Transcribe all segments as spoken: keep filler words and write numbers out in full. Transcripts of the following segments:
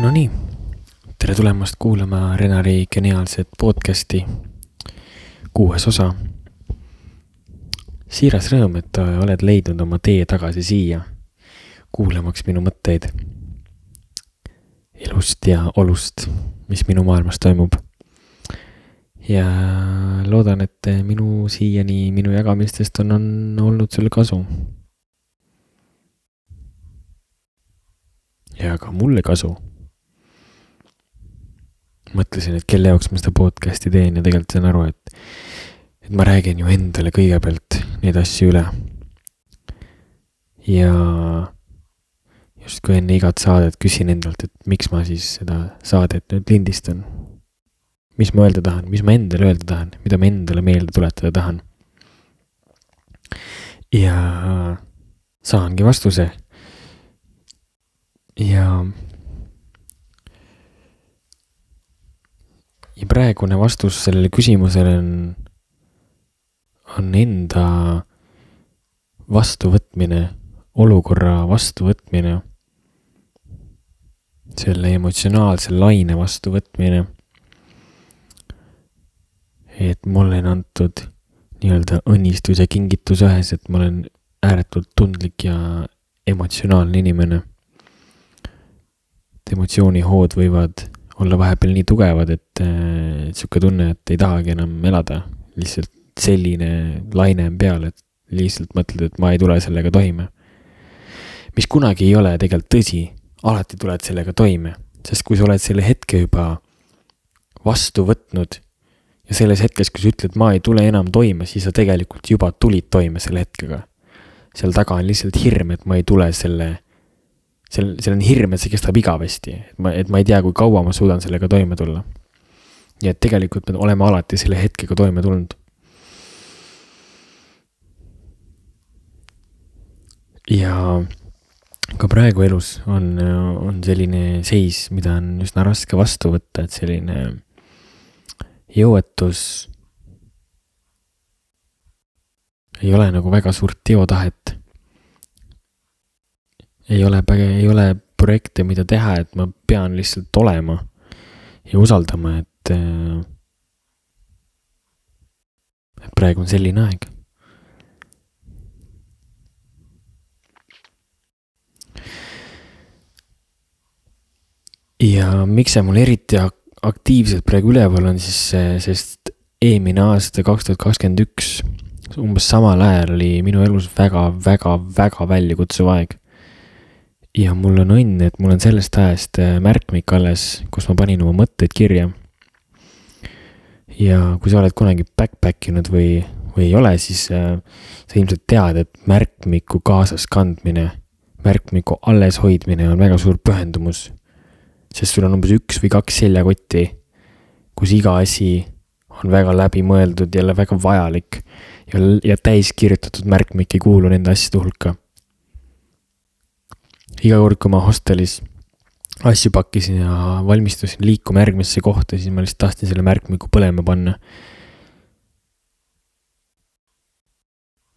No nii, tere tulemast kuulama Renari geniaalset podcasti kuues osa. Siiras rõõm, et oled leidnud oma tee tagasi siia, kuulamaks minu mõtteid elust ja olust, mis minu maailmas toimub. Ja loodan, et minu siiani minu jagamistest on, on olnud sulle kasu. Ja ka mulle kasu. Mõtlesin, et kelle jaoks ma seda podcasti teen ja tegelikult saan aru, et, et ma räägin ju endale kõigepealt neid asju üle. Ja just kui enne igat saadet küsin endalt, et miks ma siis seda saadet nüüd lindistan. Mis ma öelda tahan, mis ma endale öelda tahan, mida ma endale meelde tuletada tahan. Ja saangi vastuse. Ja Ja praegune vastus sellele küsimusele on, on enda vastuvõtmine, olukorra vastuvõtmine, selle emotsionaalse laine vastuvõtmine, et mulle on antud nii-öelda õnnistus ja kingitus ühes, et ma olen ääretult tundlik ja emotsionaalne inimene. Et emotsioonihood võivad olla vahepeal nii tugevad, et äh, siuke tunne, et ei tahagi enam elada. Lihtsalt selline laine on peal, et lihtsalt mõtled, et ma ei tule sellega toime. Mis kunagi ei ole tegelikult tõsi, alati tuled sellega toime. Sest kui sa oled selle hetke juba vastu võtnud ja selles hetkes, kui sa ütled, ma ei tule enam toime, siis sa tegelikult juba tulid toime selle hetkega. Seal taga on lihtsalt hirm, et ma ei tule selle Sel, sel on hirm, et see kestab igavesti, et ma, et ma ei tea, kui kaua ma suudan sellega toime tulla. Ja et tegelikult me oleme alati selle hetkega toime tulnud. Ja ka praegu elus on, on selline seis, mida on üsna raske vastu võtta, et selline jõuetus ei ole nagu väga suurt teotahet. Ei ole, ei ole projekte, mida teha, et ma pean lihtsalt olema ja usaldama, et, et praegu on selline aeg. Ja miks see mul eriti aktiivselt praegu üleval on, siis sest eelmine aasta kaks tuhat kakskümmend üks umbes samal ajal oli minu elus väga, väga, väga väljakutsuv aeg. Ja mul on õnn, et mul on sellest ajast märkmik alles, kus ma panin oma mõtteid kirja. Ja kui sa oled kunagi backpackinud või, või ei ole, siis äh, sa ilmselt tead, et märkmiku kaasas kandmine, märkmiku alles hoidmine on väga suur pühendumus. Sest sul on umbes üks või kaks seljakotti, kus iga asi on väga läbi mõeldud ja väga vajalik ja, ja täis kirjutatud märkmik ei kuulu nende asjade hulka. Iga kord, kui ma hostelis asju pakkisin ja valmistusin liikuma järgmisse kohta, siis ma lihtsalt tahtsin selle märkmiku põlema panna.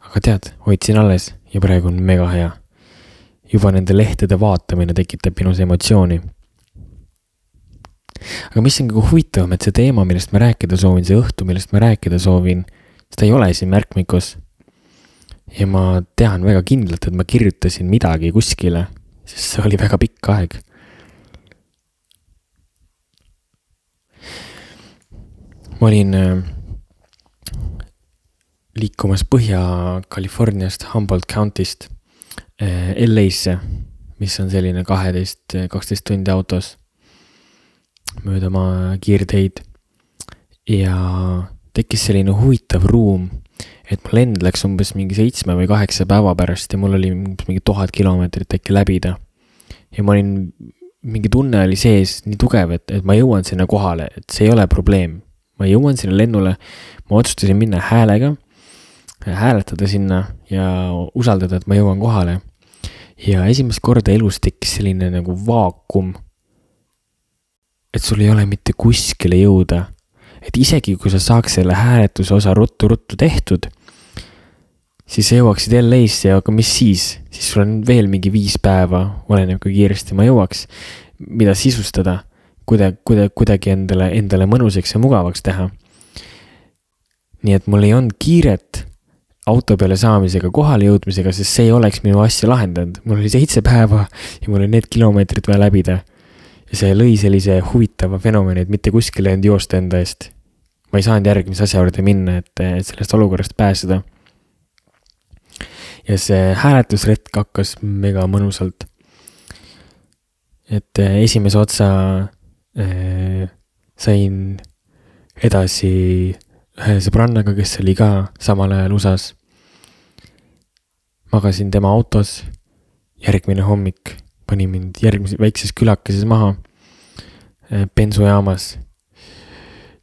Aga tead, hoidsin alles ja praegu on mega hea. Juba nende lehtede vaatamine tekitab minus emotsiooni. Aga mis on kõige huvitavam, et see teema, millest ma rääkida soovin, see õhtu, millest ma rääkida soovin, seda ei ole siin märkmikus. Ja ma tean väga kindlalt, et ma kirjutasin midagi kuskile, sest see oli väga pikk aeg. Ma olin liikumas Põhja-Californiast, Humboldt County'st L A-sse, mis on selline kaheteist kaksteist tundi autos mööda ma kiirteid. Ja tekkis selline huvitav ruum, et ma lend läks umbes mingi seitsme või kaheksa päeva pärast ja mul oli mingi tuhat kilomeetrit äkki läbida. Ja ma olin, mingi tunne oli sees nii tugev, et, et ma jõuan sinna kohale, et see ei ole probleem. Ma jõuan sinna lennule, ma otsustasin minna häälega, hääletada sinna ja usaldada, et ma jõuan kohale. Ja esimest korda elus tekkis selline nagu vaakum, et sul ei ole mitte kuskile jõuda. Et isegi kui sa saaks selle hääletuse osa ruttu-ruttu tehtud, siis jõuaksid L A-sse, aga mis siis? Siis sul on veel mingi viis päeva, oleneb kui kiiresti ma jõuaks, mida sisustada, kuida, kuida, kuidagi endale, endale mõnusaks ja mugavaks teha. Nii et mul ei olnud kiiret auto peale saamisega, kohale jõudmisega, sest see ei oleks minu asja lahendanud. Mul oli seitse päeva ja mul oli need kilomeetrid vaja läbida. Ja see lõi sellise huvitava fenomeni, et mitte kuskile end joosta enda eest. Ma ei saanud järgmise asja juurde minna, et sellest olukorrast pääseda. Ja see hääletusretk hakkas mega mõnusalt. Et esimese otsa äh, sain edasi ühe sõbrannaga, kes oli ka samal ajal usas. Magasin tema autos, järgmine hommik pani mind järgmises väikses külakeses maha bensujaamas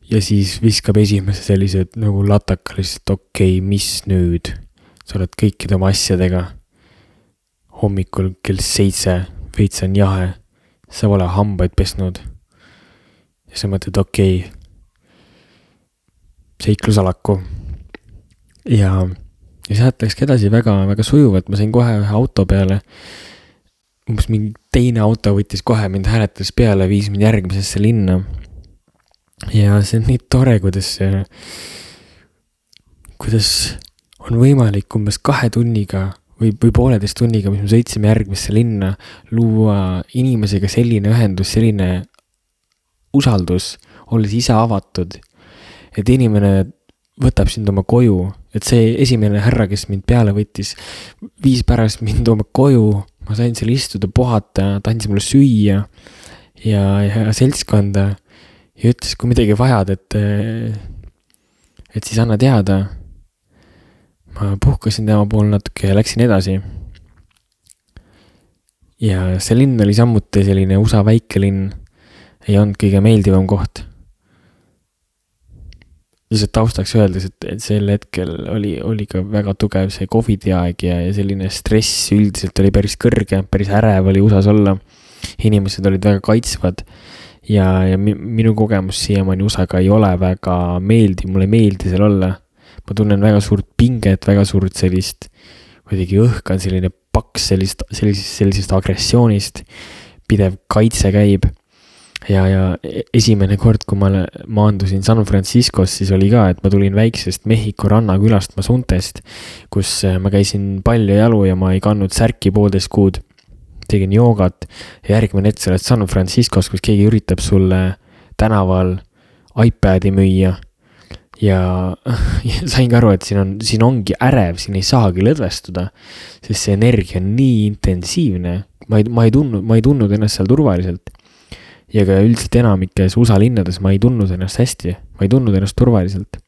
ja siis viskab esimese sellised nagu lataka lihtsalt okei, okay, mis nüüd? Sa oled kõikide oma asjadega hommikul kell seitse, veits on jahe, sa pole hambaid pesnud ja sa mõtled okei, okay, seiklusalaku ja, ja sealt läkski edasi väga, väga sujuvalt, ma sain kohe ühe auto peale, umbes mingi teine auto võttis kohe mind hääletas peale, viis mind järgmisesse linna ja see on nii tore, kuidas kuidas on võimalik umbes kahe tunniga või, või pooleteist tunniga, mis me sõitsime järgmisse linna, luua inimesega selline ühendus, selline usaldus, olles ise avatud, et inimene võtab sind oma koju, et see esimene härra, kes mind peale võttis, viis pärast mind oma koju, ma sain seal istuda, puhata, ta andis mulle süüa ja, ja seltskonda ja ütles, kui midagi vajad, et, et siis anna teada. Ma puhkasin tema pool natuke ja läksin edasi. Ja see linn oli samuti selline U S A väike linn, ei olnud kõige meeldivam koht. Lihtsalt taustaks öeldes, et, et sel hetkel oli, oli ka väga tugev see Covidi aeg ja, ja selline stress üldiselt oli päris kõrge, päris ärev oli U S As olla. Inimesed olid väga kaitsvad ja, ja minu kogemus siiamaani U S A-ga ei ole väga meeldi, mulle ei meeldi seal olla. Ma tunnen väga suurt pinget, väga suurt sellist, kuidagi õhk on selline paks sellist, sellisest, sellisest agressioonist, pidev kaitse käib. Ja, ja esimene kord, kui ma maandusin San Franciscos, siis oli ka, et ma tulin väiksest Mehhiko rannakülast Masuntest, kus ma käisin palju jalu ja ma ei kandnud särki poolteist kuud, tegin joogat ja järgmine hetk sa oled San Franciscos, kus keegi üritab sulle tänaval iPadi müüa ja, ja sain ka aru, et siin, on, siin ongi ärev, siin ei saagi lõdvestuda, sest see energia on nii intensiivne, ma ei, ma ei tundnud, ma ei tundnud ennast seal turvaliselt. Ja ka üldiselt enamikes U S A linnades ma ei tundnud ennast hästi, ma ei tundnud ennast turvaliselt.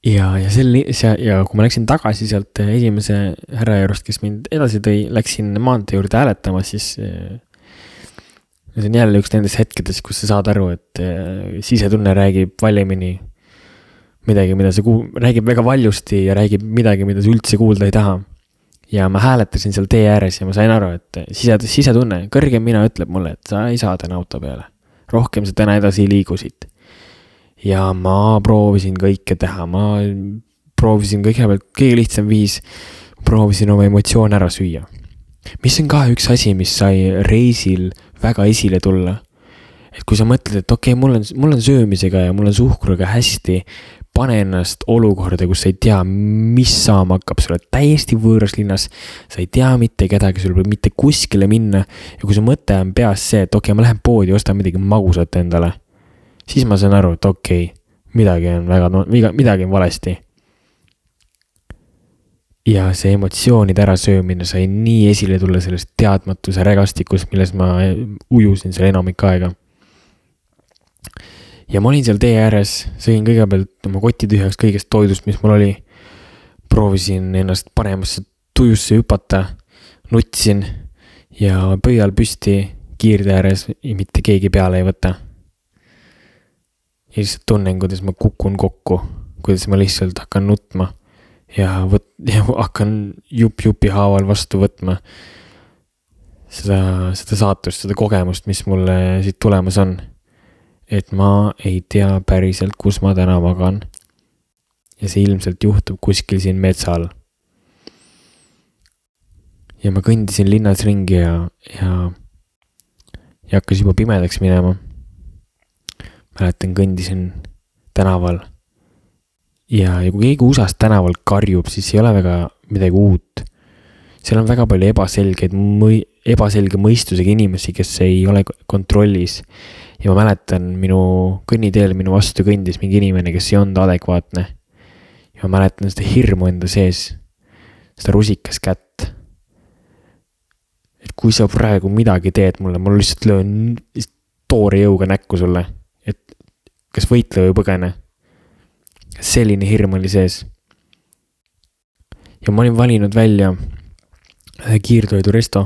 Ja, ja, sel, ja kui ma läksin tagasi sealt esimese härra juurest, kes mind edasi tõi, läksin maantee juurde hääletama, siis see on jälle üks nendest hetkedes, kus sa saad aru, et sisetunne räägib valimini midagi, mida sa kuul, räägib väga valjusti ja räägib midagi, mida sa üldse kuulda ei taha. Ja ma hääletasin seal tee ääres ja ma sain aru, et sise, sisetunne, kõrgem mina ütleb mulle, et sa ei saa täna auto peale. Rohkem sa täna edasi ei liigusid. Ja ma proovisin kõike teha, ma proovisin kõigepealt, kõige lihtsam viis, proovisin oma emotsioon ära süüa. Mis on ka üks asi, mis sai reisil väga esile tulla. Et kui sa mõtled, et okei, okay, mul on, mul on söömisega ja mul on suhkruga hästi, pane ennast olukorda, kus sa ei tea, mis saama hakkab, sa oled täiesti võõras linnas, sa ei tea mitte kedagi, sul võib mitte kuskile minna ja kui su mõte on peas see, et okei, okay, ma lähen poodi, ostan midagi magusat endale, siis ma saan aru, et okei, okay, midagi on väga, midagi on valesti. Ja see emotsioonide ärasöömine sai nii esile tulla sellest teadmatuse rägastikus, milles ma ujusin seal enamik aega. Ja ma olin seal tee ääres, sõin kõigepealt oma koti tühjaks kõigest toidust, mis mul oli. Proovisin ennast paremasse tujusse hüpata, nutsin ja pöial püsti kiirde ääres mitte keegi peale ei võta. Ja lihtsalt tunnen, kuidas ma kukun kokku, kuidas ma lihtsalt hakkan nutma ja, võt, ja hakkan jup-jupi haaval vastu võtma seda, seda saatust, seda kogemust, mis mulle siit tulemas on. Et ma ei tea päriselt, kus ma täna magan. Ja see ilmselt juhtub kuskil siin metsal. Ja ma kõndisin linnas ringi ja, ja ja hakkas juba pimedaks minema. Mäletan, kõndisin tänaval ja, ja kui keegi U S A-st tänaval karjub, siis ei ole väga midagi uut. Seal on väga palju ebaselgeid, mõi, ebaselge mõistusega inimesi, kes ei ole kontrollis. Ja ma mäletan, minu kõnniteel minu vastu kõndis mingi inimene, kes ei olnud adekvaatne. Ja ma mäletan seda hirmu enda sees, seda rusikas kätt. Et kui sa praegu midagi teed mulle, mul lihtsalt löön toore jõuga näkku sulle, et kas võitle või põgene. Selline hirm oli sees. Ja ma olin valinud välja kiirtoidu resto.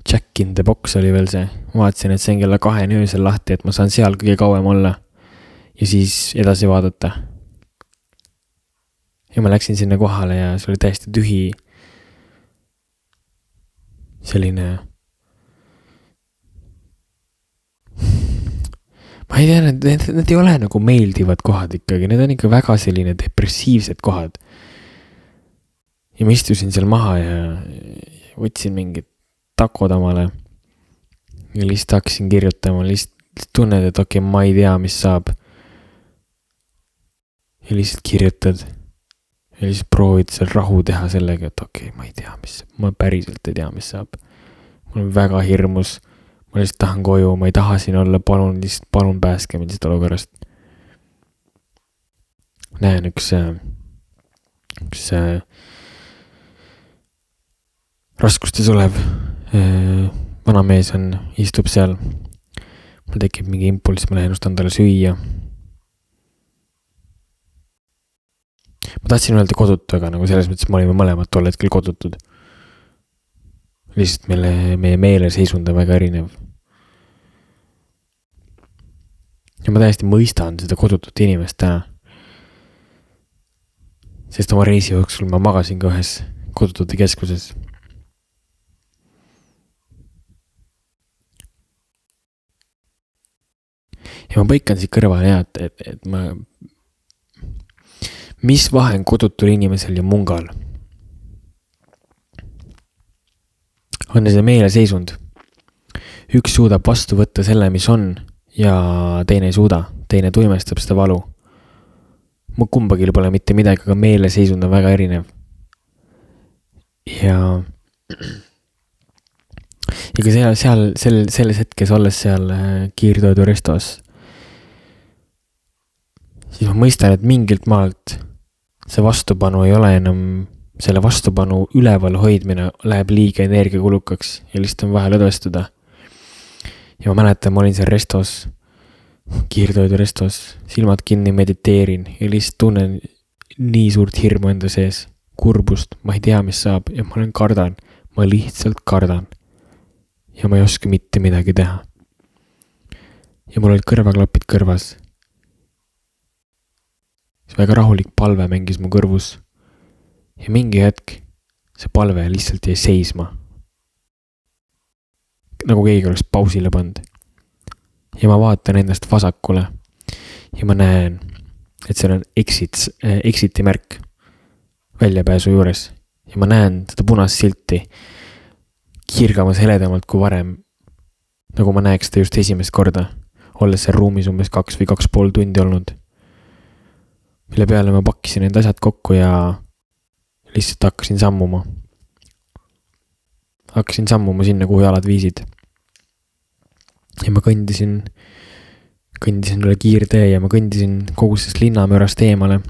Jack in the Box oli veel see. Ma vaatasin, et see on kella kahe öösel lahti, et ma saan seal kõige kauem olla ja siis edasi vaadata. Ja ma läksin sinna kohale ja see oli täiesti tühi. Selline ma ei tea, need, need, need ei ole nagu meeldivad kohad ikkagi, need on ikka väga selline depressiivsed kohad. Ja ma istusin seal maha ja võtsin mingid takod omale ja lihtsalt hakkasin kirjutama, lihtsalt tunned, et okei, okay, ma ei tea, mis saab. Ja lihtsalt kirjutad ja lihtsalt proovid seal rahu teha sellega, et okei, okay, ma ei tea, mis saab. Ma päriselt ei tea, mis saab. Mul on väga hirmus. Ma lihtsalt tahan koju, ma ei taha siin olla, palun, lihtsalt palun pääske mind seda olukorrast. Näen üks, üks raskustes olev vana mees on, istub seal. Mul tekib mingi impulss, ma lähen just andale süüa. Ma tahtsin öelda kodutu, aga nagu selles mõttes ma olime mõlemad tol hetkel kodutud. Lihtsalt meile, meie meele seisund on väga erinev. Ja ma täiesti mõistan seda kodutut inimest täna. Sest oma reisi jooksul ma magasin ka ühes kodutute keskuses. Ja ma põikan siit kõrvale ja, et, et, et ma... Mis vahe on kodutul inimesel ja mungal? On see meele seisund. Üks suudab vastu võtta selle, mis on, ja teine ei suuda. Teine tuimestab seda valu. Mu kumbagil pole mitte midagi, aga meele seisund on väga erinev. Ja... Ja ka seal, seal sel, selles hetkes olles seal kiirtoidu restos, siis ma mõistan, et mingilt maalt see vastupanu ei ole enam, selle vastupanu üleval hoidmine läheb liiga energiakulukaks ja lihtsalt on vaja lõdvestuda. Ja ma mäletan, ma olin seal restos, kiirtoidu restos, silmad kinni mediteerin ja lihtsalt tunnen nii suurt hirmu enda sees, kurbust, ma ei tea, mis saab ja ma olen kardan, ma lihtsalt kardan ja ma ei oska mitte midagi teha. Ja mul olid kõrvaklapid kõrvas. See väga rahulik palve mängis mu kõrvus. Ja mingi hetk see palve lihtsalt jäi seisma. Nagu keegi oleks pausile pand. Ja ma vaatan endast vasakule. Ja ma näen, et seal on exit, äh, exiti märk väljapääsu juures. Ja ma näen seda punast silti kirgamas heledamalt kui varem. Nagu ma näeks seda just esimest korda. Olles seal ruumis umbes kaks või kaks pool tundi olnud. Mille peale ma pakkisin need asjad kokku ja lihtsalt hakkasin sammuma. Hakkasin sammuma sinna, kuhu jalad viisid. Ja ma kõndisin, kõndisin üle kiirtee ja ma kõndisin kogu sest linnamöörast eemale.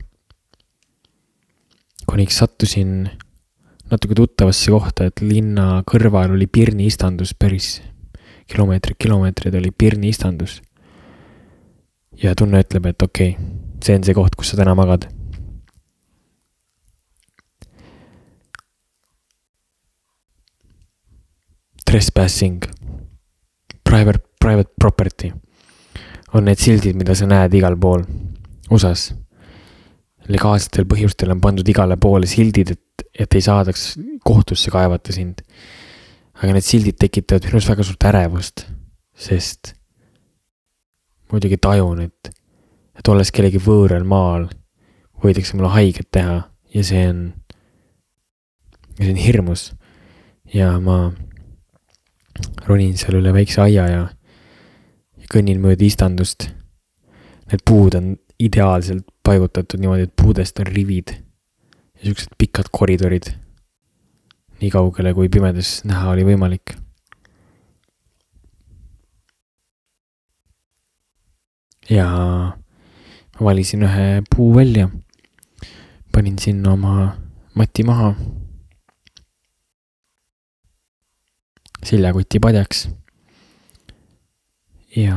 Kuniks sattusin natuke tuttavasse kohta, et linna kõrval oli Pirni istandus, päris kilomeetrid, kilomeetrid oli Pirni istandus. Ja tunne ütleb, et okei, okay, see on see koht, kus sa täna magad. Trespassing, private, private property on need sildid, mida sa näed igal pool U S A-s. Legaalsetel põhjustel on pandud igale poole sildid, et, et ei saadaks kohtusse kaevata sind. Aga need sildid tekitavad minus väga suurt ärevust, sest muidugi tajun, et, et olles kellegi võõral maal, võidakse mulle haiget teha ja see on, ja see on hirmus. Ja ma ronin seal üle väikse aia ja kõnnin mööda istandust. Need puud on ideaalselt paigutatud niimoodi, et puudest on rivid ja siuksed pikad koridorid. Nii kaugele, kui pimedas näha oli võimalik. Ja ma valisin ühe puu välja. Panin sinna oma mati maha. Seljakoti padjaks. Ja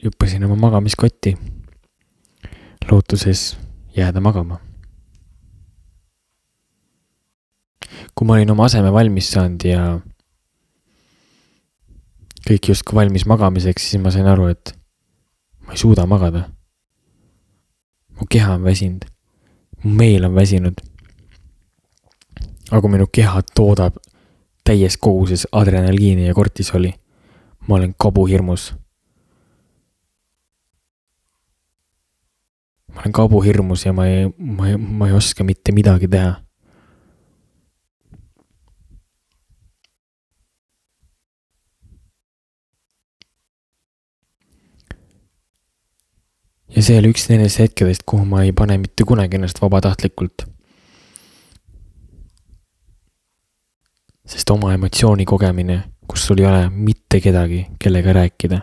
juppasin oma magamiskotti. Lootuses jääda magama. Kui ma olin oma aseme valmis saanud ja kõik justkui valmis magamiseks, siis ma sain aru, et ma ei suuda magada. Mu keha on väsinud. Mu meel on väsinud. Aga minu keha toodab täies koguses adrenaliini ja kortisoli. Ma olen kabuhirmus. Ma olen kabuhirmus ja ma ei, ma ei, ma ei oska mitte midagi teha. Ja see oli üks nendest hetkedest, kuhu ma ei pane mitte kunagi ennast vabatahtlikult. Sest oma emotsiooni kogemine, kus sul ei ole mitte kedagi, kellega rääkida.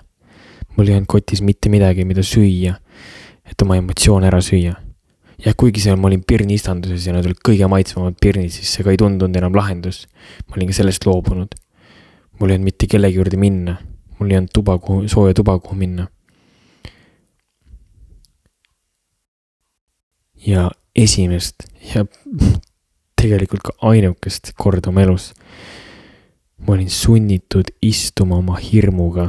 Mul ei olnud kotis mitte midagi, mida süüa, et oma emotsioone ära süüa. Ja kuigi seal ma olin pirni istanduses ja nad olid kõige maitsvamad pirnid, siis see ka ei tundunud enam lahendus. Ma olin ka sellest loobunud. Mul ei olnud mitte kellegi juurde minna. Mul ei olnud tuba, kuhu, sooja tuba, kuhu minna. Ja esimest ja tegelikult ka ainukest korda oma elus ma olin sunnitud istuma oma hirmuga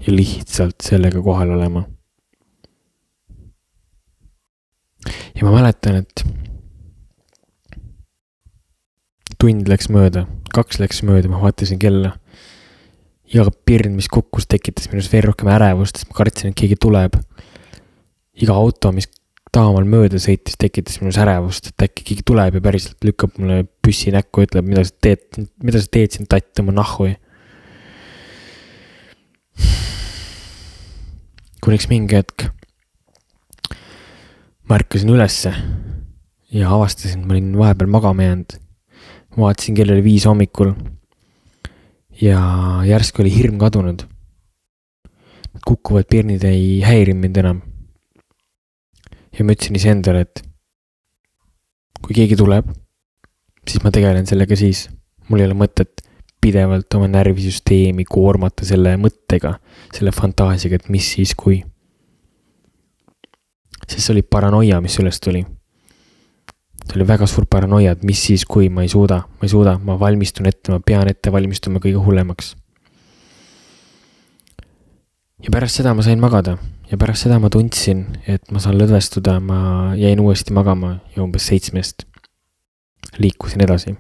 ja lihtsalt sellega kohal olema. Ja ma mäletan, et tund läks mööda, kaks läks mööda, ma vaatasin kella. Iga pirn, mis kukkus, tekitas minus veel rohkem ärevust, sest ma kartsin, et keegi tuleb. Iga auto, mis taamal mööda sõitis, tekitas minus ärevust, et äkki keegi tuleb ja päriselt lükkab mulle püssi näkku ja ütleb, mida sa teed, mida sa teed siin tatt oma nahhui. Kuniks mingi hetk ma ärkasin ülesse ja avastasin, ma olin vahepeal magama jäänud. Ma vaatasin, kell oli viis hommikul ja järsku oli hirm kadunud. Kukkuvad pirnid ei häiri mind enam. Ja ma ütlesin ise endale, et kui keegi tuleb, siis ma tegelen sellega siis. Mul ei ole mõtet pidevalt oma närvisüsteemi koormata selle mõttega, selle fantaasiaga, et mis siis kui. Sest see oli paranoia, mis üles tuli. See oli väga suur paranoia, et mis siis kui ma ei suuda, ma ei suuda, ma valmistun ette, ma pean ette valmistuma kõige hullemaks. Ja pärast seda ma sain magada. Ja pärast seda ma tundsin, et ma saan lõdvestuda, ma jäin uuesti magama ja umbes seitsmest liikusin edasi.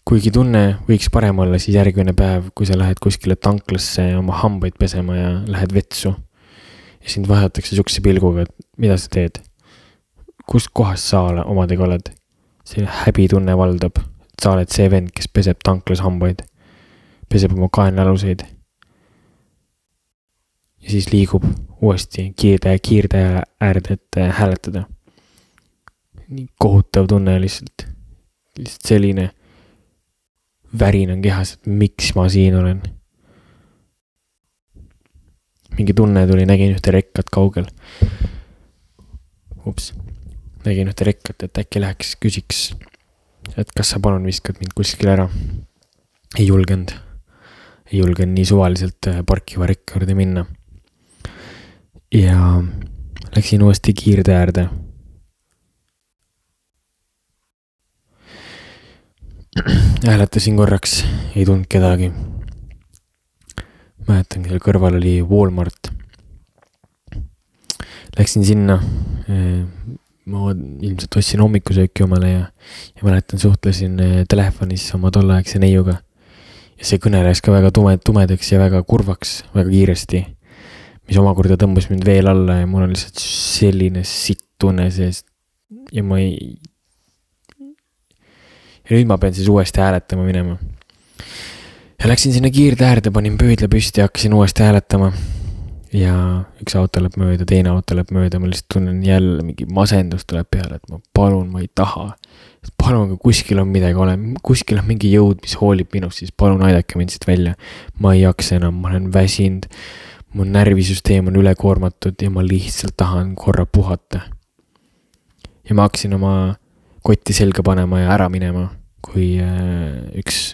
Kuigi tunne võiks parem olla, siis järgmine päev, kui sa lähed kuskile tanklasse oma hambaid pesema ja lähed vetsu ja sind vaadatakse sukse pilguga, et mida sa teed? Kust kohast sa omadega oled? See häbitunne valdab, et sa oled see vend, kes peseb tanklas hambaid. Peseb oma kaenlaluseid. Ja siis liigub uuesti kiirdaja, kiirdaja äärde, et hääletada. Nii kohutav tunne lihtsalt. Lihtsalt selline värin on kehas, et miks ma siin olen. Mingi tunne tuli, nägin ühte rekkat kaugel. Ups. Nägin ühte rekkat, et äkki läheks küsiks, et kas sa palun viskad mind kuskil ära. Ei julgenud. Ei julgen nii suvaliselt parkiva rekka juurde minna. Ja läksin uuesti kiirde äärde. Hääletasin korraks, ei tundnud kedagi. Mäletan, seal kõrval oli Walmart. Läksin sinna. Ma ilmselt ostsin hommikusööki omale ja, ja mäletan, suhtlesin telefonis oma tolleaegse neiuga. Ja see kõne läks ka väga tume, tumedaks ja väga kurvaks, väga kiiresti, mis omakorda tõmbas mind veel alla ja mul on lihtsalt selline sitt tunne seest ja ma ei, ja nüüd ma pean siis uuesti hääletama minema. Ja läksin sinna kiirde äärde, panin pöödla püsti ja hakkasin uuesti hääletama. Ja üks auto läheb mööda, teine auto läheb mööda, ma lihtsalt tunnen jälle mingi masendus tuleb peale, et ma palun, ma ei taha. Palun, kui kuskil on midagi ole, kuskil on mingi jõud, mis hoolib minust, siis palun aidake mind siit välja. Ma ei jaksa enam, ma olen väsinud, mu närvisüsteem on ülekoormatud ja ma lihtsalt tahan korra puhata. Ja ma hakkasin oma kotti selga panema ja ära minema, kui üks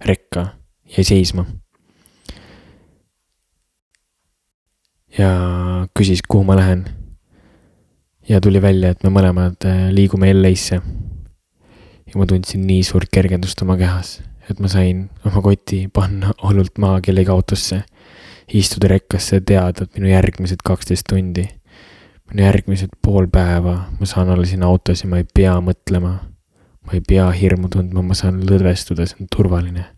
rekka jäi seisma. Ja küsis, kuhu ma lähen. Ja tuli välja, et me mõlemad liigume L A-sse. Ja ma tundsin nii suurt kergendust oma kehas, et ma sain oma koti panna hullult maha kellegi autosse. Istuda rekkasse ja teada, et minu järgmised kaksteist tundi. Minu järgmised pool päeva. Ma saan olla siin autos ja ma ei pea mõtlema. Ma ei pea hirmu tundma, ma saan lõdvestuda, see on turvaline.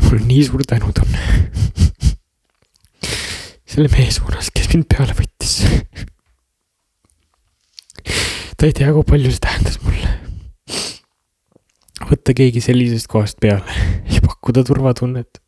Mul on nii suur tänutunne selle mehe suunas, kes mind peale võttis. Ta ei tea, kui palju see tähendas mulle. Võtta keegi sellisest kohast peale ja pakkuda turvatunnet.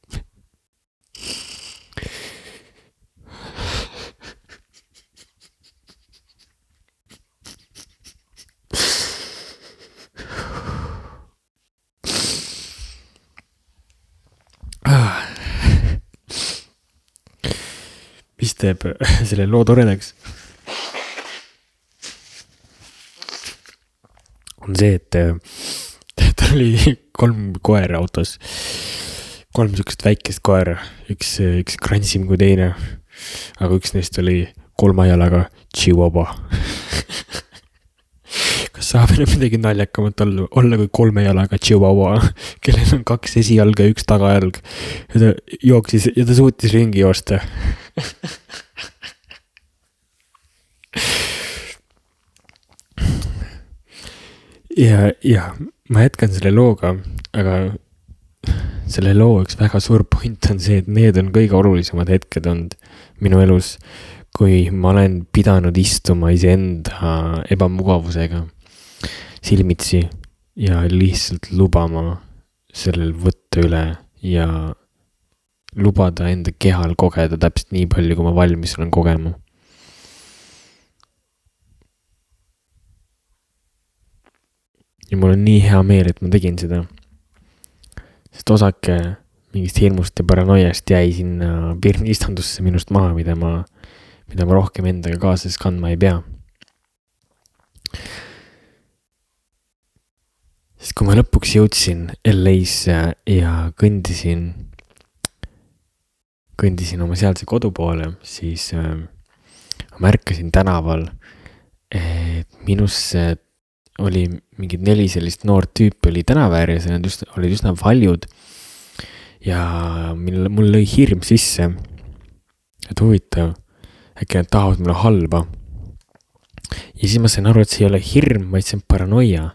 Mis teeb selle loo toredaks? On see, et tal oli kolm koera autos. Kolm sükest väikest koera. Üks, üks kransim kui teine. Aga üks neist oli kolma jalaga Chihuahua. Kas saab enam midagi naljakamat olla, olla kui kolme jalaga Chihuahua, kellel on kaks esijalga ja üks tagajalg. Ja ta jooksis ja ta suutis ringi joosta. ja, ja ma jätkan selle looga, aga selle loo üks väga suur point on see, et need on kõige olulisemad hetked olnud minu elus, kui ma olen pidanud istuma iseenda ebamugavusega silmitsi ja lihtsalt lubama sellel võtta üle ja lubada enda kehal kogeda täpselt nii palju, kui ma valmis olen kogema. Ja mul on nii hea meel, et ma tegin seda. Sest osake mingist hirmust ja paranoiast jäi sinna pirni istandusse minust maha, mida ma, mida ma rohkem endaga kaasas kandma ei pea. Sest kui ma lõpuks jõudsin L A-sse ja kõndisin, kõndisin oma sealse kodu poole, siis äh, ma märkasin tänaval, et minusse oli mingid neli sellist noort tüüpi oli tänavääri ja need just, olid üsna valjud ja mul, mul lõi hirm sisse, et huvitav, äkki nad tahavad mulle halba. Ja siis ma sain aru, et see ei ole hirm, vaid see on paranoia.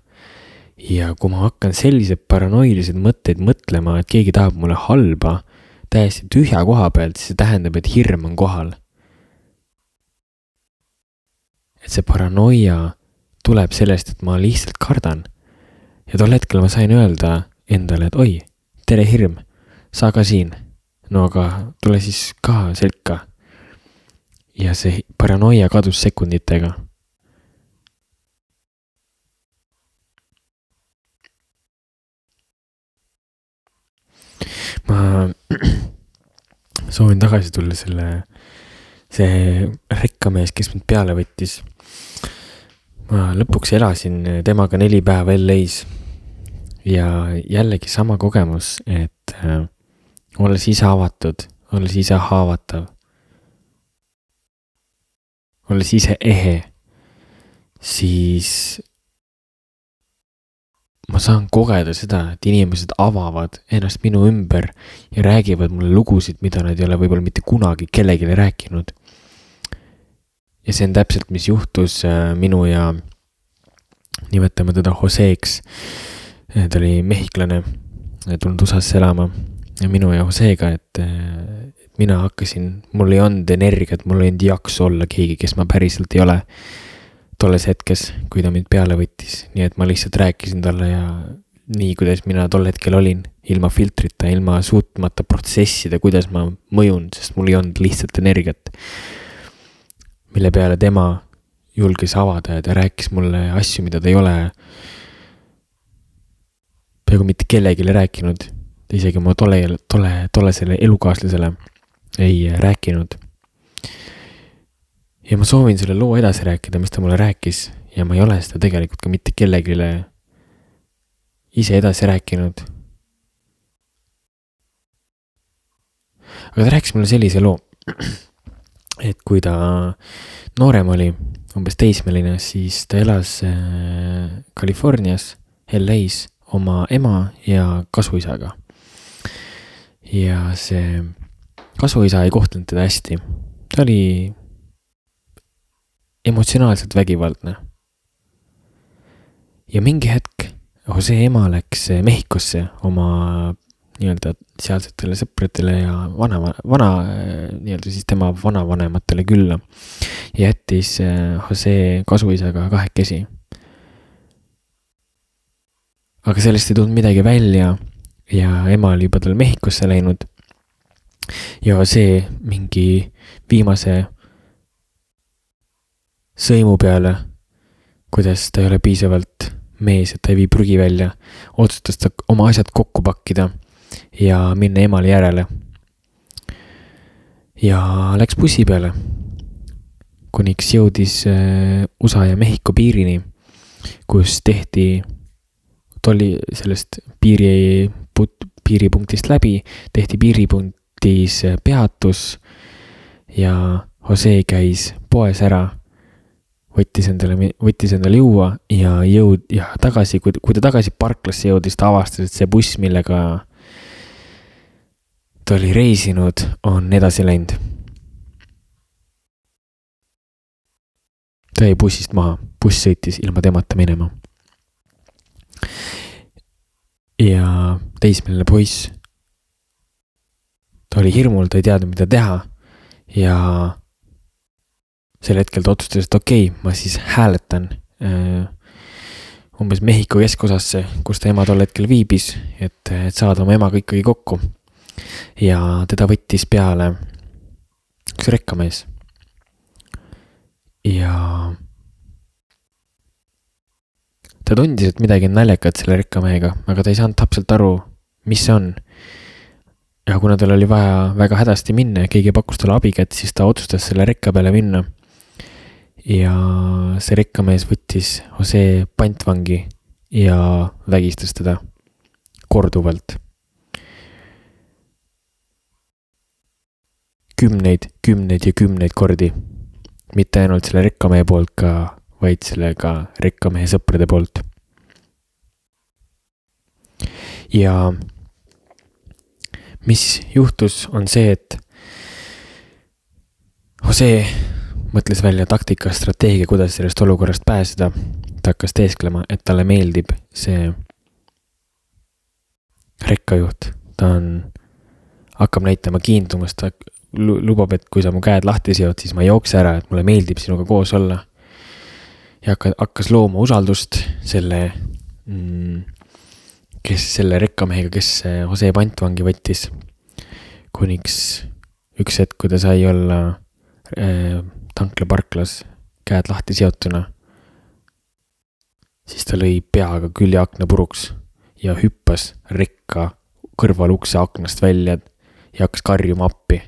Ja kui ma hakkan sellised paranoilised mõtteid mõtlema, et keegi tahab mulle halba täiesti tühja koha pealt, siis see tähendab, et hirm on kohal. Et see paranoia tuleb sellest, et ma lihtsalt kardan. Ja tol hetkel ma sain öelda endale, et oi, tere hirm, sa ka siin. No aga tule siis ka selka. Ja see paranoia kadus sekunditega. Ma soovin tagasi tulla selle, see rekkamees, kes mind peale võttis. Ma lõpuks elasin temaga neli päeva L A-s ja jällegi sama kogemus, et äh, olles ise avatud, olles ise haavatav, olles ise ehe, siis ma saan kogeda seda, et inimesed avavad ennast minu ümber ja räägivad mulle lugusid, mida nad ei ole võib-olla mitte kunagi kellegile rääkinud. ja see on täpselt, mis juhtus minu ja nimetame teda Joseeks. Ta oli mehhiklane, tulnud U S A-sse elama ja minu ja Joseega, et mina hakkasin, mul ei olnud energiat, mul ei olnud jaksu olla keegi, kes ma päriselt ei ole tolles hetkes, kui ta mind peale võttis. Nii et ma lihtsalt rääkisin talle ja nii, kuidas mina tol hetkel olin, ilma filtrita, ilma suutmata protsessida, kuidas ma mõjun, sest mul ei olnud lihtsalt energiat. Mille peale tema julges avada ja ta rääkis mulle asju, mida ta ei ole peaaegu mitte kellegile rääkinud. Ta isegi oma tolle, tolle, tolle selle elukaaslasele ei rääkinud. Ja ma soovin selle loo edasi rääkida, mis ta mulle rääkis ja ma ei ole seda tegelikult ka mitte kellegile ise edasi rääkinud. Aga ta rääkis mulle sellise loo, et kui ta noorem oli, umbes teismeline, siis ta elas Californias, L A's oma ema ja kasuisaga. Ja see kasuisa ei kohtlenud teda hästi. Ta oli emotsionaalselt vägivaldne. Ja mingi hetk Jose ema läks Mehhikosse oma nii-öelda sealsetele sõpradele ja vana, vana nii-öelda siis tema vanavanematele külla ja jättis Jose kasuisaga kahekesi. Aga sellest ei tulnud midagi välja ja ema oli juba tal Mehhikosse läinud ja see mingi viimase sõimu peale, kuidas ta ei ole piisavalt mees, et ta ei vii prügi välja, otsustas ta oma asjad kokku pakkida ja minna emale järele. Ja läks bussi peale, kuniks jõudis U S A ja Mehhiko piirini, kus tehti tolli sellest piiri, piiripunktist läbi, tehti piiripunktis peatus ja Jose käis poes ära, võttis endale, võttis endale juua ja jõud ja tagasi, kui, kui ta tagasi parklasse jõudis, ta avastas, et see buss, millega ta oli reisinud, on edasi läinud. Ta jäi bussist maha, buss sõitis ilma temata minema. Ja teismeline poiss, ta oli hirmul, ta ei teadnud, mida teha ja sel hetkel ta otsustas, et okei, okay, ma siis hääletan äh, umbes Mehhiko keskosasse, kus ta ema tol hetkel viibis, et, et saada oma emaga ikkagi kokku. Ja teda võttis peale üks rekkamees. Ja ta tundis, et midagi on naljakat selle rekkamehega, aga ta ei saanud täpselt aru, mis see on. Ja kuna tal oli vaja väga hädasti minna ja keegi pakkus talle abikätt, siis ta otsustas selle rekka peale minna. Ja see rekkamees võttis Jose pantvangi ja vägistas teda korduvalt. Kümneid, kümneid ja kümneid kordi. Mitte ainult selle rekkamehe poolt ka, vaid selle ka rekkamehe sõprade poolt. Ja mis juhtus on see, et Jose mõtles välja taktika, strateegia, kuidas sellest olukorrast pääseda. Ta hakkas teesklema, et talle meeldib see rekkajuht. Ta on, hakkab näitama kiindumust, ta lubab, et kui sa mu käed lahti seod, siis ma jookse ära, et mulle meeldib sinuga koos olla. Ja hakkas looma usaldust selle, kes selle rekkamehega, kes Jose pantvangi võttis. Kuniks üks hetk, kui ta sai olla tankla parklas käed lahti seotuna, siis ta lõi peaga külje akna puruks ja hüppas rekka kõrval ukse aknast välja ja hakkas karjuma appi.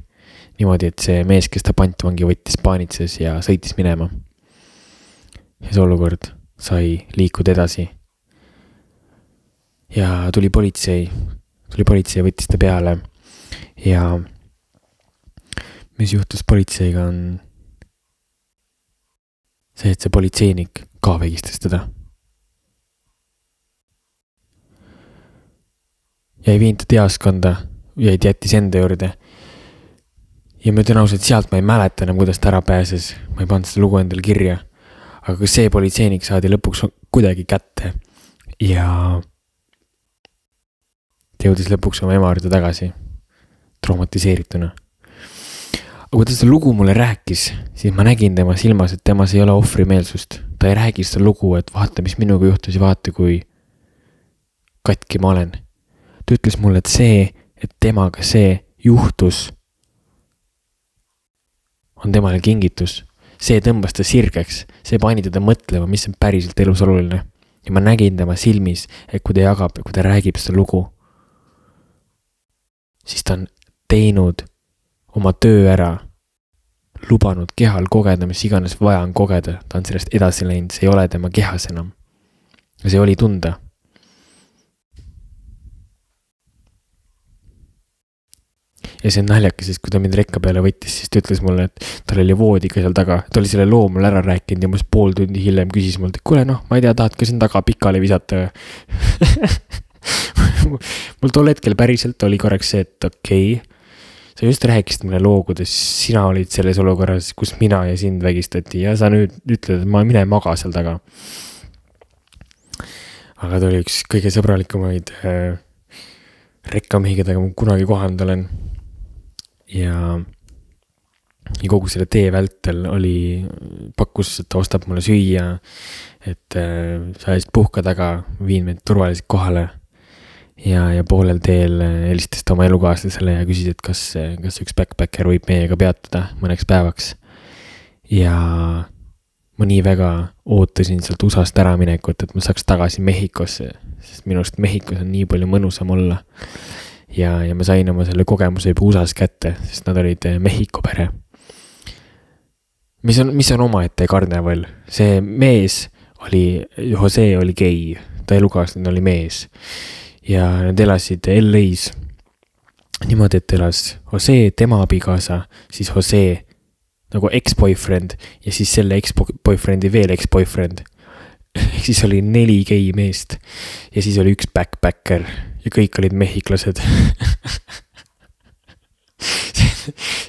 Niimoodi, et see mees, kes ta pantvangi võttis, paanitses ja sõitis minema. Ja see olukord sai liikuda edasi. Ja tuli politsei, tuli politsei ja võttis ta peale ja mis juhtus politseiga on see, et see politseinik ka vägistas teda. Ja ei viinud ta teaskonda, jäid jättis enda juurde. ja ma ütlen ausalt, sealt ma ei mäleta enam, kuidas ta ära pääses. Ma ei pannud seda lugu endale kirja. Aga see politseinik saadi lõpuks kuidagi kätte. Ja ta jõudis lõpuks oma ema juurde tagasi. Traumatiseerituna. Aga kui ta seda lugu mulle rääkis, siis ma nägin tema silmas, et temas ei ole ohvrimeelsust. Ta ei räägi seda lugu, et vaata, mis minuga juhtus ja vaata, kui katki ma olen. Ta ütles mulle, et see, et temaga see juhtus, on temale kingitus. See tõmbas ta sirgeks, see pani teda mõtlema, mis on päriselt elus oluline. Ja ma nägin tema silmis, et kui ta jagab, kui ta räägib seda lugu, siis ta on teinud oma töö ära, lubanud kehal kogeda, mis iganes vaja on kogeda. Ta on sellest edasi läinud, see ei ole tema kehas enam. Ja see oli tunda. Ja see on naljakas, sest kui ta mind rekka peale võttis, siis ta ütles mulle, et tal oli voodi ka seal taga. Ta oli selle loo mulle ära rääkinud ja must pool tundi hiljem küsis mult, et kuule, noh, ma ei tea, tahad ka siin taga pikali visata. Mul tol hetkel päriselt oli korraks see, et okei, okay, sa just rääkisid mulle loo, kuidas sina olid selles olukorras, kus mina ja sind vägistati ja sa nüüd ütled, et ma mine maga seal taga. Aga ta oli üks kõige sõbralikumaid äh, rekkamehi, keda ma kunagi kohanud olen. Ja, ja kogu selle tee vältel oli, pakkus, et ta ostab mulle süüa, et äh, sa eest puhka taga, viin meid turvaliselt kohale ja, ja poolel teel helistas ta oma elukaaslasele ja küsis, et kas, kas üks backpacker võib meiega peatuda mõneks päevaks. Ja ma nii väga ootasin sealt U S A-st ära minekut, et ma saaks tagasi Mehhikosse, sest minust Mehhikos on nii palju mõnusam olla. Ja, ja ma sain oma selle kogemuse juba U S A-s kätte, sest nad olid Mehhiko pere. Mis on, mis on oma ette karneval? See mees oli, Jose oli gei, ta elukaaslane oli mees. Ja nad elasid L A's niimoodi, et elas Jose, tema abikaasa, siis Jose nagu ex-boyfriend ja siis selle ex-boyfriendi veel ex-boyfriend. Ehk siis oli neli gei meest ja siis oli üks backpacker ja kõik olid mehhiklased.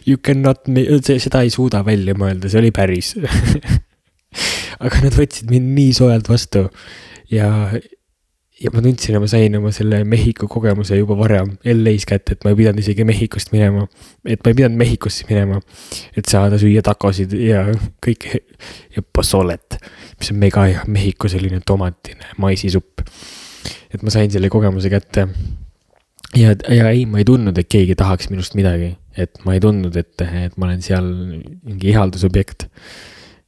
You cannot, seda ei suuda välja mõelda, see oli päris. Aga nad võtsid mind nii soojalt vastu ja, ja ma tundsin, ma sain oma selle Mehhiko kogemuse juba varem L A's kätte, et ma ei pidanud isegi Mehhikost minema, et ma ei pidanud Mehhikosse minema, et saada süüa takosid ja kõik ja posolet, mis on mega hea Mehhiko selline tomatine maisisupp. Et ma sain selle kogemuse kätte ja, ja ei, ma ei tundnud, et keegi tahaks minust midagi, et ma ei tundnud, et, et ma olen seal mingi ihaldusobjekt,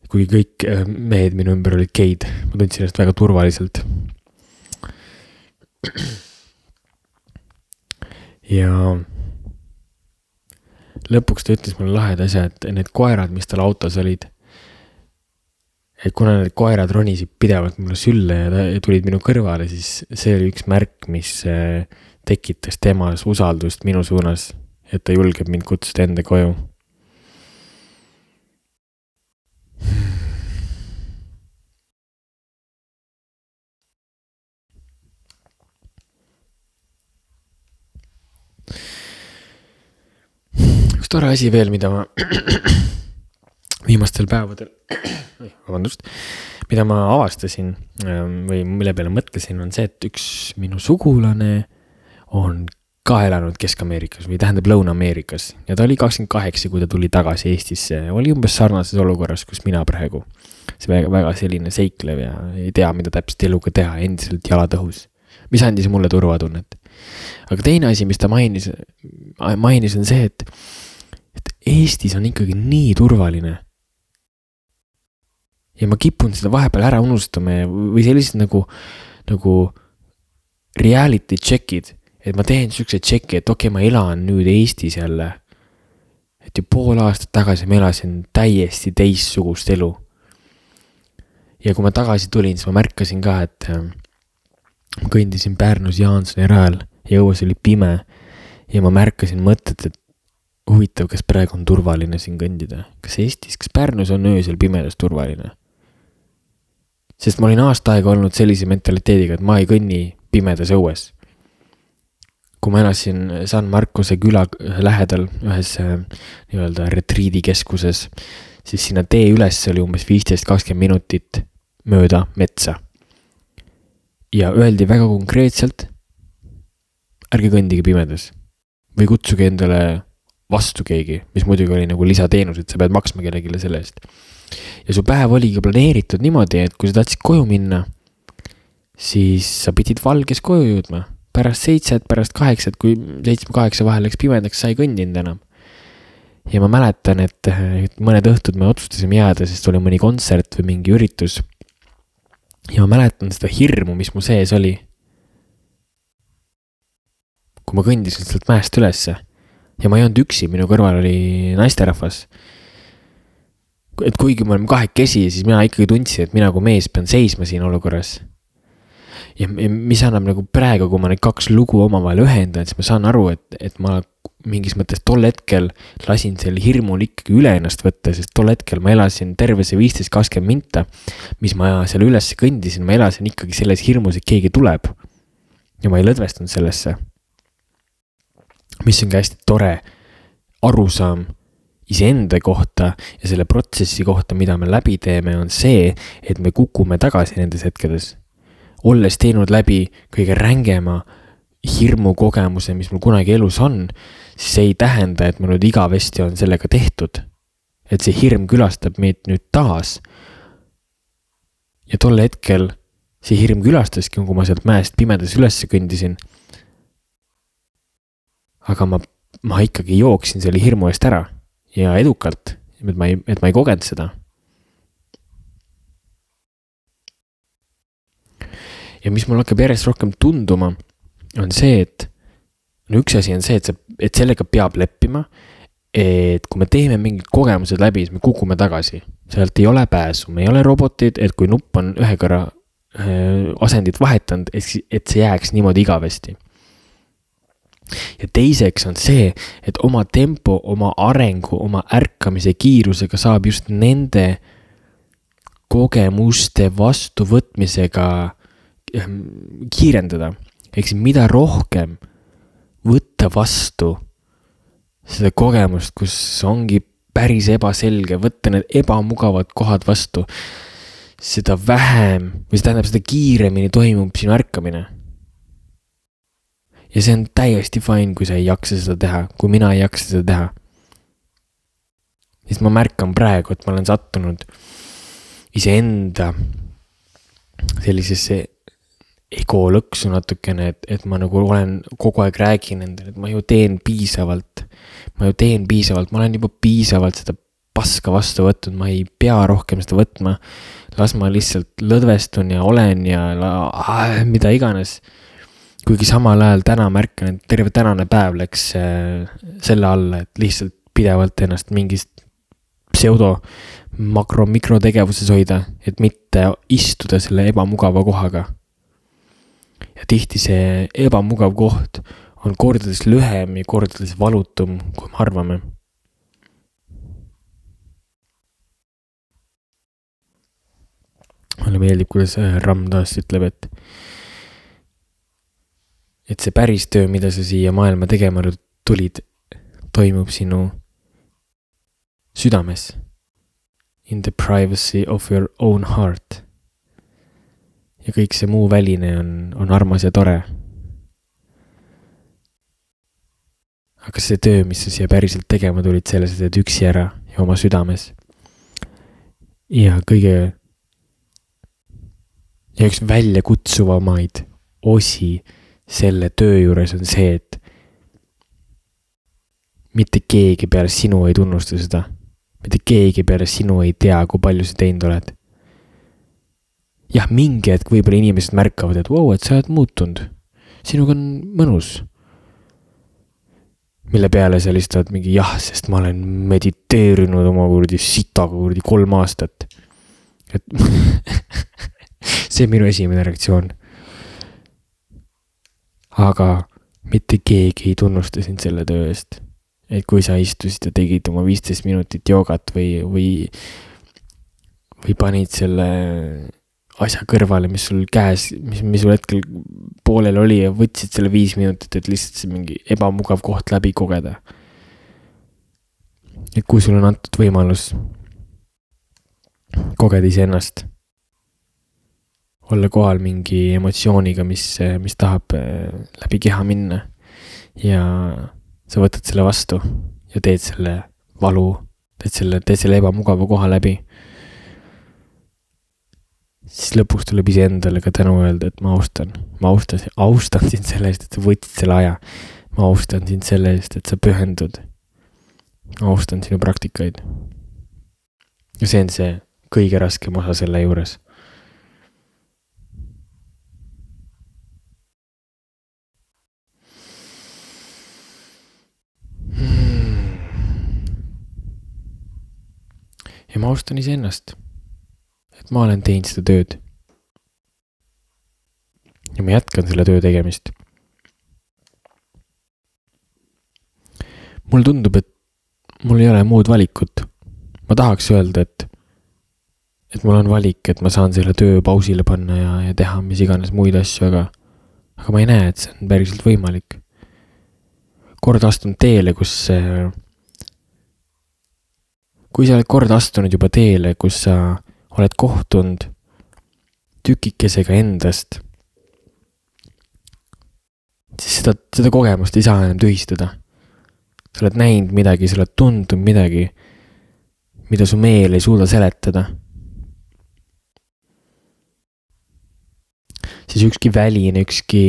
kui kõik mehed minu ümber olid geid, ma tundsin ennast väga turvaliselt. Ja lõpuks ta ütles mulle laheda asja, et need koerad, mis tal autos olid, et kuna need koerad ronisid pidevalt mulle sülle ja tulid minu kõrvale, siis see oli üks märk, mis tekitas temas usaldust minu suunas, et ta julgeb mind kutsuda enda koju. Üks tore asi veel, mida ma viimastel päevadel vabandust, mida ma avastasin või mille peale mõtlesin, on see, et üks minu sugulane on ka elanud Kesk-Ameerikas või tähendab Lõuna-Ameerikas ja ta oli kakskümmend kaheksa, kui ta tuli tagasi Eestisse, oli umbes sarnases olukorras, kus mina praegu. See väga, väga selline seiklev ja ei tea, mida täpselt eluga teha, endiselt jalad õhus, mis andis mulle turvatunnet. Aga teine asi, mis ta mainis, mainis on see, et, et Eestis on ikkagi nii turvaline. Ja ma kipun seda vahepeal ära unustama või sellised nagu, nagu reality checkid, et ma teen sükse tšeki, et okei, okay, ma elan nüüd Eestis jälle. Et ju pool aastat tagasi ma elasin täiesti teissugust elu. Ja kui ma tagasi tulin, siis ma märkasin ka, et ma kõndisin Pärnus Jaansoni rajal ja õues oli pime ja ma märkasin mõtet, et huvitav, kas praegu on turvaline siin kõndida. Kas Eestis, kas Pärnus on öösel pimedas turvaline? Sest ma olin aasta aega olnud sellise mentaliteediga, et ma ei kõnni pimedas õues. kui ma elasin San Marcose küla lähedal ühes nii-öelda retriidikeskuses, siis sinna tee üles oli umbes viisteist kakskümmend minutit mööda metsa. Ja öeldi väga konkreetselt, ärge kõndige pimedas või kutsuge endale vastu keegi, mis muidugi oli nagu lisateenus, et sa pead maksma kellegile selle eest. Ja su päev oligi planeeritud niimoodi, et kui sa tahtsid koju minna, siis sa pidid valges koju jõudma. Pärast seitset, pärast kaheksat, kui seitsme kaheksa vahel läks pimedaks, sa ei kõndinud enam. Ja ma mäletan, et mõned õhtud me otsustasime jääda, sest oli mõni kontsert või mingi üritus. Ja ma mäletan seda hirmu, mis mu sees oli. Kui ma kõndisin sealt mäest ülesse ja ma ei olnud üksi, minu kõrval oli naisterahvas. Et kuigi me oleme kahekesi, siis mina ikkagi tundsin, et mina kui mees pean seisma siin olukorras. Ja mis annab nagu praegu, kui ma need kaks lugu omavahel ühendan, siis ma saan aru, et, et ma mingis mõttes tol hetkel lasin selle hirmul ikkagi üle ennast võtta, sest tol hetkel ma elasin terve see viisteist kakskümmend minta, mis ma seal üles kõndisin, ma elasin ikkagi selles hirmus, et keegi tuleb. Ja ma ei lõdvestunud sellesse. Mis on ka hästi tore arusaam iseenda kohta ja selle protsessi kohta, mida me läbi teeme, on see, et me kukume tagasi nendes hetkedes. Olles teinud läbi kõige rängema hirmu kogemuse, mis mul kunagi elus on, siis see ei tähenda, et mul nüüd igavesti on sellega tehtud. Et see hirm külastab meid nüüd taas. Ja tol hetkel see hirm külastaski, kui ma sealt mäest pimedas üles kõndisin. Aga ma, ma ikkagi jooksin selle hirmu eest ära ja edukalt, et ma ei, et ma ei kogenud seda. Ja mis mul hakkab järjest rohkem tunduma, on see, et no üks asi on see, et, see, et sellega peab leppima, et kui me teeme mingid kogemused läbi, siis me kukume tagasi. Sealt ei ole pääsu, me ei ole robotid, et kui nupp on ühe korra äh, asendit vahetanud, et, et see jääks niimoodi igavesti. Ja teiseks on see, et oma tempo, oma arengu, oma ärkamise kiirusega saab just nende kogemuste vastuvõtmisega kiirendada. Ehk siis mida rohkem võtta vastu seda kogemust, kus ongi päris ebaselge, võtta need ebamugavad kohad vastu, seda vähem, või see tähendab, seda kiiremini toimub sinu ärkamine. Ja see on täiesti fine, kui sa ei jaksa seda teha, kui mina ei jaksa seda teha. Siis ma märkan praegu, et ma olen sattunud iseenda sellisesse ego lõksu natukene, et, et ma nagu olen kogu aeg räägin endale, et ma ju teen piisavalt, ma ju teen piisavalt, ma olen juba piisavalt seda paska vastu võtnud, ma ei pea rohkem seda võtma, las ma lihtsalt lõdvestun ja olen ja ah, mida iganes. Kuigi samal ajal täna märkan, et terve tänane päev läks selle alla, et lihtsalt pidevalt ennast mingist pseudo makro-mikrotegevuses hoida, et mitte istuda selle ebamugava kohaga. Ja tihti see ebamugav koht on kordades lühem ja kordades valutum, kui me arvame. Mulle meeldib, kuidas Ram taas ütleb, et et see päris töö, mida sa siia maailma tegema tulid, toimub sinu südames. In the privacy of your own heart. Ja kõik see muu väline on, on armas ja tore. Aga see töö, mis sa siia päriselt tegema tulid, selles teed üksi ära ja oma südames. Ja kõige ja üks välja kutsuvamaid osi selle töö juures on see, et mitte keegi peale sinu ei tunnusta seda. Mitte keegi peale sinu ei tea, kui palju sa teinud oled. Jah, mingi hetk võib-olla inimesed märkavad, et wow, et sa oled muutunud. Sinuga on mõnus. Mille peale sa lihtsalt mingi jah, sest ma olen mediteerinud oma kurdi sitaga kurdi kolm aastat. Et see on minu esimene reaktsioon. Aga mitte keegi ei tunnusta sind selle töö eest. Et kui sa istusid ja tegid oma viisteist minutit joogat või, või, või panid selle asja kõrvale, mis sul käes, mis, mis sul hetkel poolel oli ja võtsid selle viis minutit, et lihtsalt see mingi ebamugav koht läbi kogeda. Et kui sul on antud võimalus kogeda iseennast, olla kohal mingi emotsiooniga, mis, mis tahab läbi keha minna ja sa võtad selle vastu ja teed selle valu, teed selle, teed selle ebamugava koha läbi, siis lõpuks tuleb ise endale ka tänu öelda, et ma austan, ma austan, austan sind selle eest, et sa võtsid selle aja, ma austan sind selle eest, et sa pühendud, ma austan sinu praktikaid. Ja see on see kõige raskem osa selle juures. Ja ma austan ise ennast, et ma olen teinud seda tööd. Ja ma jätkan selle töö tegemist. Mulle tundub, et mul ei ole muud valikut. Ma tahaks öelda, et, et mul on valik, et ma saan selle töö pausile panna ja, ja teha mis iganes muid asju, aga, aga ma ei näe, et see on päriselt võimalik. Kord astun teele, kus kui sa oled kord astunud juba teele, kus sa oled kohtunud tükikesega endast, siis seda, seda kogemust ei saa enam tühistada. Sa oled näinud midagi, sa oled tundnud midagi, mida su meel ei suuda seletada. Siis ükski väline, ükski,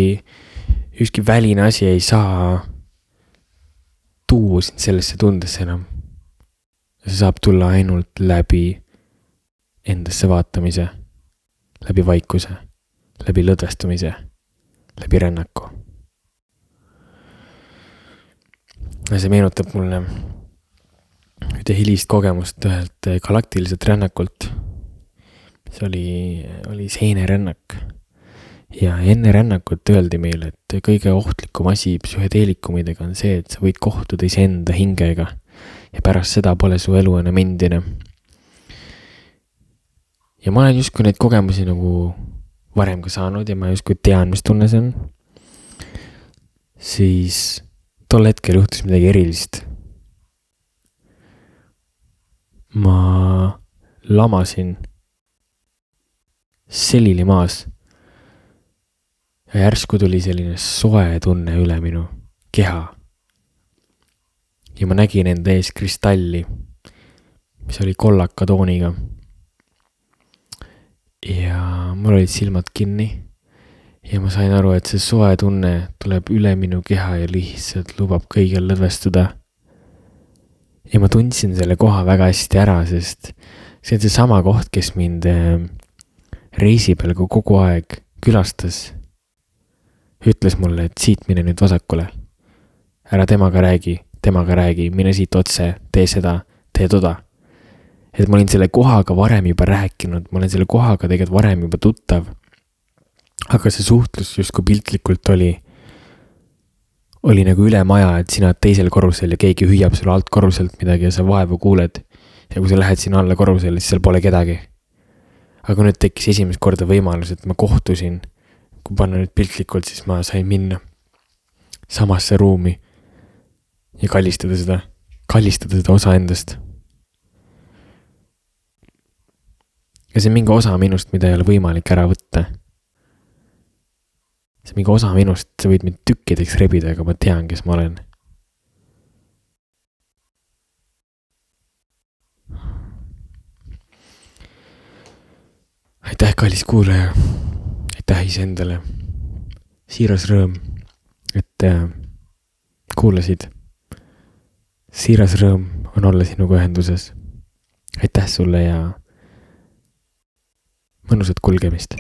ükski väline asi ei saa tuua sind sellesse tundesse enam. See saab tulla ainult läbi endasse vaatamise, läbi vaikuse, läbi lõdvestumise, läbi rännaku. Ja see meenutab mulle ühte hilist kogemust ühelt galaktiliselt rännakult. See oli, oli seenerännak. Ja enne rännakut öeldi meile, et kõige ohtlikum asi psühhedeelikumidega on see, et sa võid kohtuda iseenda hingega. Ja pärast seda pole su elu enam endine. Ja ma olen justkui neid kogemusi nagu varem ka saanud ja ma justkui tean, mis tunne see on. Siis tol hetkel juhtus midagi erilist. Ma lamasin selili maas ja järsku tuli selline soe tunne üle minu keha. Ja ma nägin enda ees kristalli, mis oli kollaka tooniga. Ja mul olid silmad kinni ja ma sain aru, et see soe tunne tuleb üle minu keha ja lihtsalt lubab kõigil lõdvestuda. Ja ma tundsin selle koha väga hästi ära, sest see on see sama koht, kes mind reisi peal kogu aeg külastas. Ütles mulle, et siit mine nüüd vasakule. Ära temaga räägi. temaga räägi, mine siit otse, tee seda, tee toda. Et ma olin selle kohaga varem juba rääkinud, ma olen selle kohaga tegelikult varem juba tuttav. Aga see suhtlus justkui piltlikult oli, oli nagu üle maja, et sina teisel korrusel ja keegi hüüab sulle alt korruselt midagi ja sa vaevu kuuled. Ja kui sa lähed sinna alla korrusel, siis seal pole kedagi. Aga nüüd tekkis esimest korda võimalus, et ma kohtusin. Kui panna nüüd piltlikult, siis ma sain minna samasse ruumi. Ja kallistada seda, kallistada seda osa endast. Ja see on mingi osa minust, mida ei ole võimalik ära võtta. See on mingi osa minust, sa võid mind tükkideks rebida, aga ma tean, kes ma olen. Aitäh, kallis kuulaja. Aitäh iseendale. Siiras rõõm, et kuulasid. Siiras rõõm on olla sinuga ühenduses. Aitäh sulle ja mõnusat kulgemist.